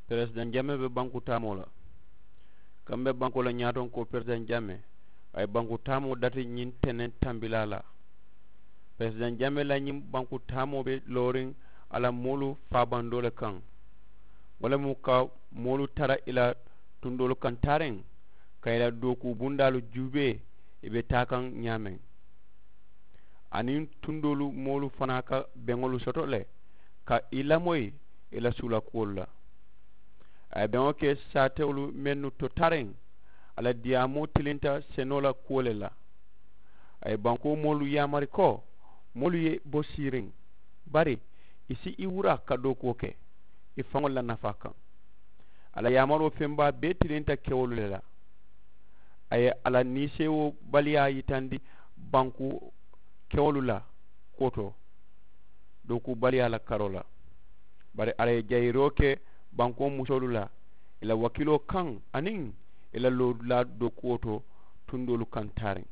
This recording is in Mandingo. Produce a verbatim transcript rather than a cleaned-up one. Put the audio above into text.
Peresidaŋ jamee be banku taamoo la. Kaŋ be bankoo la ñaatoŋ ko peresidaŋ jamee a ye banku taamoo dati ñiŋ teneŋ tambilaa la. Peresidaŋ jamee la ñiŋ banku taamoo be looriŋ a la moolu faabandoo le kaŋ. Wo le mu ka moolu tara i la tundoolu kaŋ taariŋ ka i la dookuu bundaalu juubee i be taa kaŋ ñaameŋ. Aniŋ tundoolu moolu fanaa ka beŋolu soto le ka i lamoyi i la suulakuwolu la. A ye beŋo ke saatewolu mennu to taariŋ a la diyaamoo tilinta senoo la kuwo le la. A ye bankoo moolu yaamari ko moolu ye bo siiriŋ bari i si i wura ka dookuwo ke i faŋolu la nafaa kaŋ. A la yaamaroo feŋ baa bee tilinta kewolu le la. A ye a la niiseewoo baliyaa yitandi banku kewolu la kuwo to dookuubaliyaa la karoo la. Bari a ye jayiroo ke bankoo musoolu la i la wakiiloo kaŋ aniŋ i la loodulaa dookuwo to tundoolu kaŋ taariŋ.